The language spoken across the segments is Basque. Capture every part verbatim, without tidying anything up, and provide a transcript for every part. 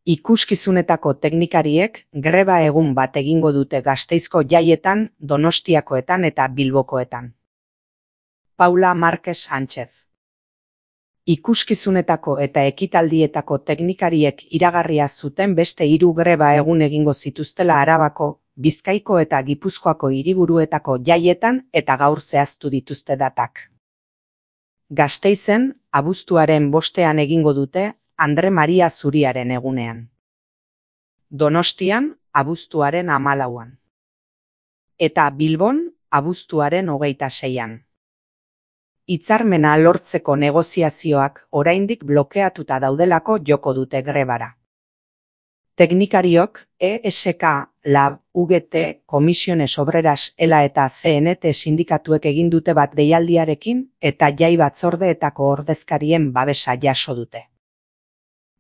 Ikuskizunetako teknikariek greba egun bat egingo dute Gasteizko jaietan, Donostiakoetan eta Bilbokoetan. Paula Márquez Sánchez. Ikuskizunetako eta ekitaldietako teknikariek iragarria zuten beste hiru greba egun egingo zituztela Arabako, Bizkaiko eta Gipuzkoako hiriburuetako jaietan eta gaur zehaztu dituzte datak. Gasteizen, abuztuaren bostean egingo dute, Andre Maria Zuriaren egunean. Donostian, abuztuaren hamalauan. Eta Bilbon, abuztuaren hogeita seian. Hitzarmena lortzeko negoziazioak oraindik blokeatuta daudelako joko dute grebara. Teknikariok, E S K, Lab, U G T, Comisiones Obreras, ELA eta C N T sindikatuek egin dute bat deialdiarekin eta jai batzordeetako ordezkarien babesa jaso dute.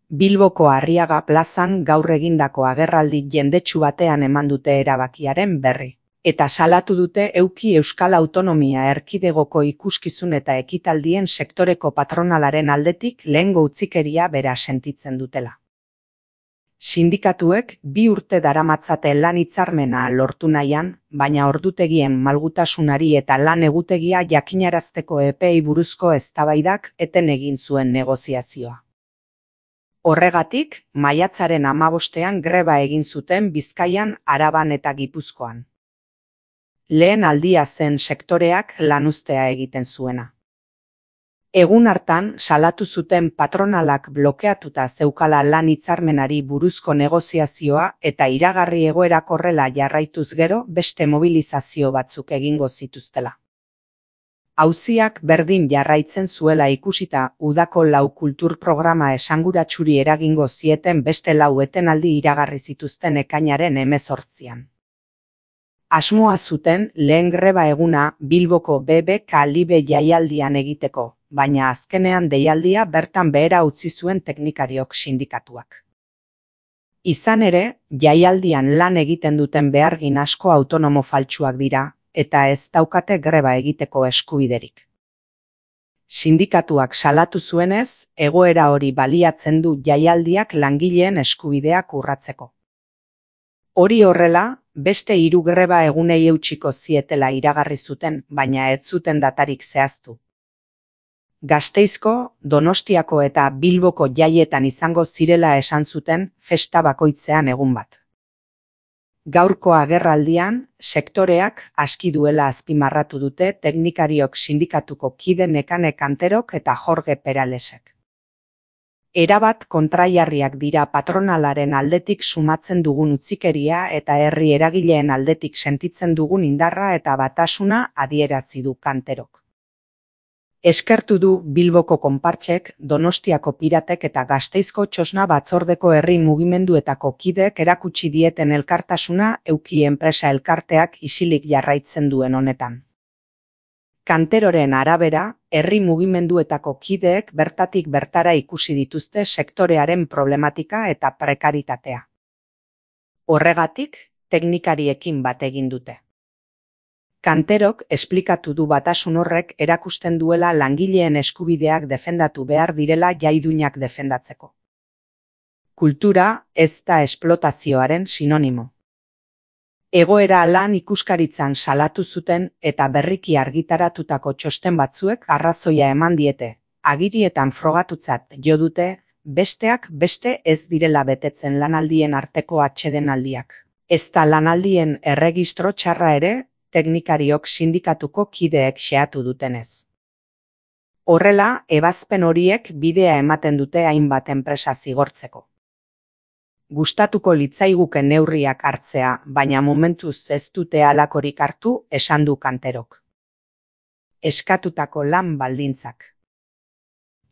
Bilboko Arriaga plazan gaur egindako agerraldi jendetsu batean eman dute erabakiaren berri, eta salatu dute Euki Euskal Autonomia Erkidegoko ikuskizun eta ekitaldien sektoreko patronalaren aldetik lehengo utzikeria bera sentitzen dutela. Sindikatuek bi urte daramatzate lan hitzarmena lortu nahian, baina ordutegien malgutasunari eta lan egutegia jakinarazteko epeei buruzko eztabaidak eten egin zuen negoziazioa. Horregatik, maiatzaren hamabostean greba egin zuten Bizkaian, Araban eta Gipuzkoan. Lehen aldia zen sektoreak lanuztea egiten zuena. Egun hartan salatu zuten patronalak blokeatuta zeukala lan hitzarmenari buruzko negoziazioa eta iragarri egoerak horrela jarraituz gero beste mobilizazio batzuk egingo zituztela. Auziak berdin jarraitzen zuela ikusita udako lau kultur programa esanguratsuri eragingo zieten beste lau etenaldi iragarri zituzten ekainaren hemezortzian. Asmoa zuten lehen greba eguna Bilboko B B K Libe jaialdian egiteko, baina azkenean deialdia bertan behera utzi zuen teknikariok sindikatuak. Izan ere, jaialdian lan egiten duten behargin asko autonomo faltsuak dira, eta ez daukate greba egiteko eskubiderik. Sindikatuak salatu zuenez, egoera hori baliatzen du jaialdiak langileen eskubideak urratzeko. Hori horrela, beste hiru greba egunei eutsiko zietela iragarri zuten, baina ez zuten datarik zehaztu. Gasteizko, Donostiako eta Bilboko jaietan izango zirela esan zuten festa bakoitzean egun bat. Gaurko agerraldian, sektoreak aski duela azpimarratu dute teknikariok sindikatuko kide Nekane Kanterok eta Jorge Peralesek. Erabat kontraiarriak dira patronalaren aldetik sumatzen dugun utzikeria eta herri eragileen aldetik sentitzen dugun indarra eta batasuna adierazi du Kanterok. Eskertu du Bilboko konpartsek, Donostiako piratek eta Gasteizko txosna batzordeko herri mugimenduetako kideek erakutsi dieten elkartasuna Euki enpresa elkarteak isilik jarraitzen duen honetan. Kanteroren arabera, herri mugimenduetako kideek bertatik bertara ikusi dituzte sektorearen problematika eta prekaritatea. Horregatik, teknikariekin bat egin dute. Kanterok esplikatu du batasun horrek erakusten duela langileen eskubideak defendatu behar direla jaiduinak defendatzeko. Kultura ez da esplotazioaren sinonimo. Egoera lan ikuskaritzan salatu zuten eta berriki argitaratutako txosten batzuek arrazoia eman diete, agirietan frogatutzat jo dute, besteak beste ez direla betetzen lanaldien arteko atsedenaldiak. Ez da lanaldien erregistro txarra ere, teknikariok sindikatuko kideek xeatu dutenez. Horrela, ebazpen horiek bidea ematen dute hainbat enpresa zigortzeko. Gustatuko litzaiguke neurriak hartzea, baina momentuz ez dute halakorik hartu, esan du Kanterok. Eskatutako lan baldintzak.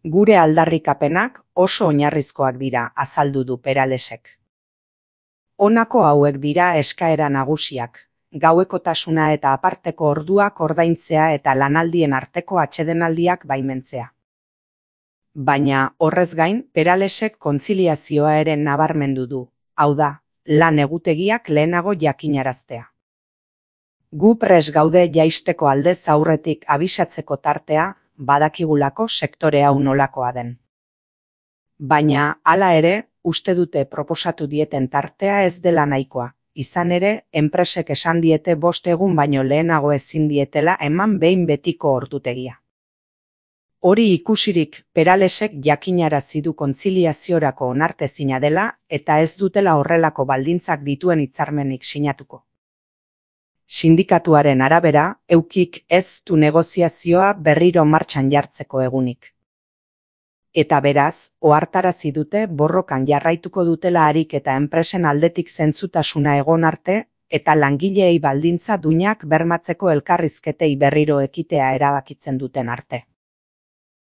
Gure aldarrikapenak oso oinarrizkoak dira, azaldu du Peralesek. Honako hauek dira eskaera nagusiak. Gauekotasuna eta aparteko orduak ordaintzea eta lanaldien arteko atsedenaldiak baimentzea. Baina, horrez gain, Peralesek kontziliazioa ere nabarmendu du, hau da, lan egutegiak lehenago jakinaraztea. Gu pres gaude jaisteko aldez aurretik abisatzeko tartea, badakigulako sektore hau nolakoa den. Baina, hala ere, uste dute proposatu dieten tartea ez dela nahikoa. Izan ere, enpresek esan diete bost egun baino lehenago ezin dietela eman behin betiko ordutegia. Hori ikusirik, Peralesek jakinarazi du kontziliaziorako onartezina dela eta ez dutela horrelako baldintzak dituen hitzarmenik sinatuko. Sindikatuaren arabera, eukik ez du negoziazioa berriro martxan jartzeko egunik. Eta beraz, ohartarazi dute borrokan jarraituko dutela harik eta enpresen aldetik zentzutasuna egon arte eta langileei baldintza duinak bermatzeko elkarrizketei berriro ekitea erabakitzen duten arte.